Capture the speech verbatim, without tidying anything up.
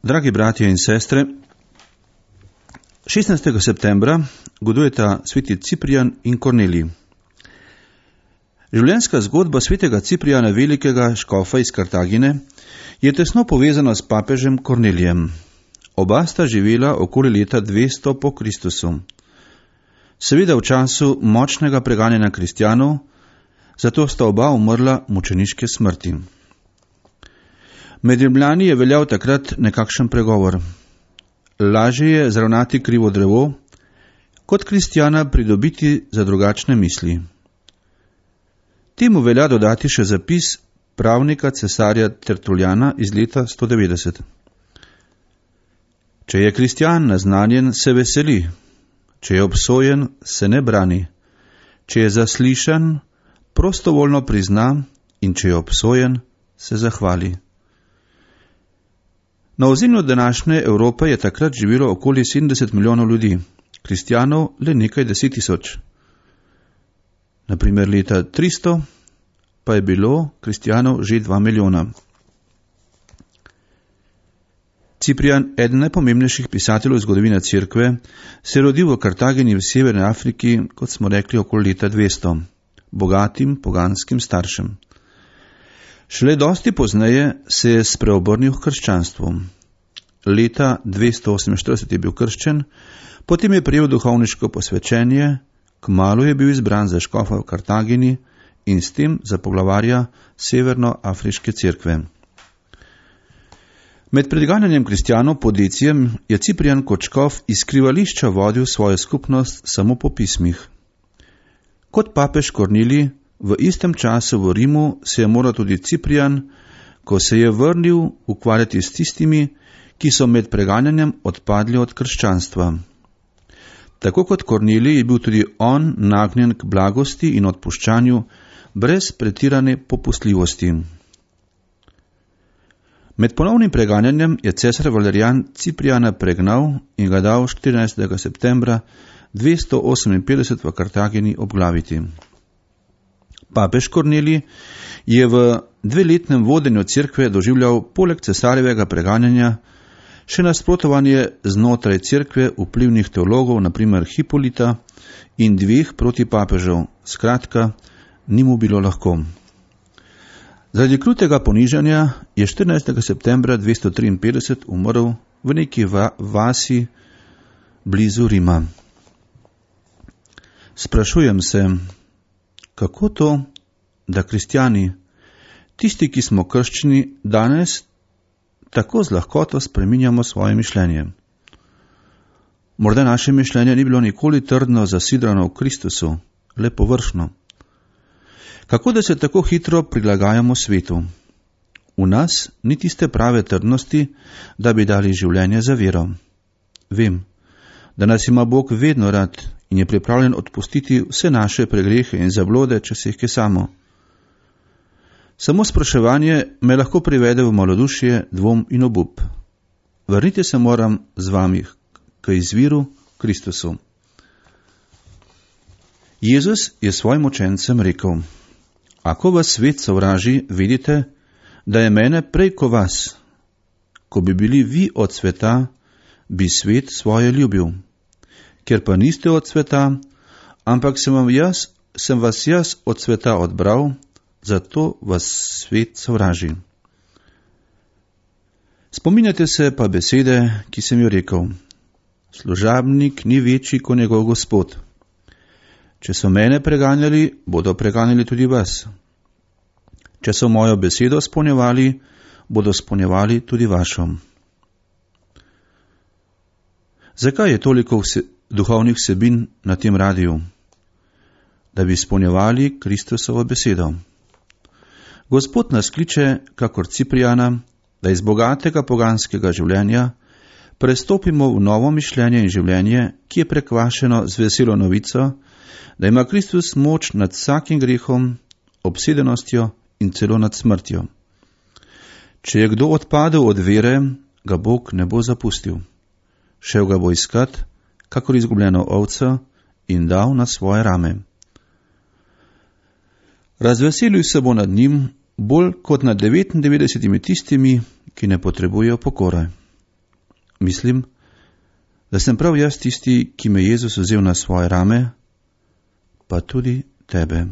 Dragi bratje in sestre, šestnajstega septembra godujeta sveti Ciprijan in Kornelij. Življenjska zgodba svetega Ciprijana Velikega, škofa iz Kartagine, je tesno povezana s papežem Kornelijem. Oba sta živela okoli leta dvesto po Kristusu. Seveda v času močnega preganjanja kristjanov, zato sta oba umrla mučeniške smrti. Med Rimljani je veljal takrat nekakšen pregovor. Lažje je zravnati krivo drevo, kot kristjana pridobiti za drugačne misli. Temu velja dodati še zapis pravnika cesarja Tertuljana iz leta sto devetdeset. Če je kristjan naznanjen, se veseli, če je obsojen, se ne brani, če je zaslišan, prostovoljno prizna in če je obsojen, se zahvali. Na ozemlju današnje Evrope je takrat živelo okoli sedemdeset milijonov ljudi, kristjanov le nekaj deset tisoč. Naprimer leta tristo pa je bilo kristjanov že dva milijona. Ciprijan, eden najpomembnejših pisateljev zgodovine cerkve, se je rodil v Kartagini v Severni Afriki, kot smo rekli, okoli leta dvesto, bogatim poganskim staršem. Šele dosti pozneje se je spreobrnil k krščanstvu. Leta dvesto oseminštirideset je bil krščen, potem je prejel duhovniško posvečenje, kmalu je bil izbran za škofa v Kartagini in s tem za poglavarja Severnoafriške cerkve. Med predganjanjem kristjanov pod Decijem je Ciprijan kot škof iz skrivališča vodil svojo skupnost samo po pismih. Kot papež Kornelij v istem času v Rimu se je moral tudi Ciprijan, ko se je vrnil, ukvarjati s tistimi, ki so med preganjanjem odpadli od krščanstva. Tako kot Kornelij je bil tudi on nagnjen k blagosti in odpuščanju brez pretirane popustljivosti. Med ponovnim preganjanjem je cesar Valerijan Ciprijana pregnal in ga dal štirinajstega septembra dvesto oseminpetdeset v Kartagini obglaviti. Papež Kornelij je v dveletnem vodenju cerkve doživljal poleg cesarjevega preganjanja še nasprotovanje znotraj cerkve vplivnih teologov, naprimer Hipolita in dveh protipapežev. Skratka, ni mu bilo lahko. Zaradi krutega ponižanja je štirinajstega septembra dvesto triinpetdeset umrl v neki va- vasi blizu Rima. Sprašujem se, kako to, da kristjani, tisti, ki smo krščeni, danes tako z lahkoto spreminjamo svoje mišljenje. Morda naše mišljenje ni bilo nikoli trdno zasidrano v Kristusu, le površno. Kako da se tako hitro prilagajamo svetu? V nas ni tiste prave trdnosti, da bi dali življenje za vero. Vem, da nas ima Bog vedno rad in je pripravljen odpustiti vse naše pregrehe in zablode, če se jih kesamo. Samo spraševanje me lahko privede v malodušje, dvom in obup. Vrnite se moram z vami k izviru Kristusu. Jezus je svojim učencem rekel: Ako vas svet sovraži, vidite, da je mene prej ko vas. Ko bi bili vi od sveta, bi svet svoje ljubil. Ker pa niste od sveta, ampak sem, vam jaz, sem vas jaz od sveta odbral, zato vas svet sovraži. Spominjate se pa besede, ki sem jo rekel: Služabnik ni večji kot njegov gospod. Če so mene preganjali, bodo preganjali tudi vas. Če so mojo besedo spolnjevali, bodo spolnjevali tudi vašo. Zakaj je toliko vse, duhovnih vsebin na tem radiju? Da bi spolnjevali Kristusovo besedo. Gospod nas kliče, kakor Ciprijana, da iz bogatega poganskega življenja prestopimo v novo mišljenje in življenje, ki je prekvašeno z veselo novico, da ima Kristus moč nad vsakim grehom, obsedenostjo in celo nad smrtjo. Če je kdo odpadel od vere, ga Bog ne bo zapustil. Šel ga bo iskat, kakor izgubljeno ovco, in dal na svoje rame. Razveselil se bo nad njim bolj kot nad devetindevetdesetimi tistimi, ki ne potrebujejo pokore. Mislim, da sem prav jaz tisti, ki me je Jezus vzel na svoje rame, pa tudi tebe.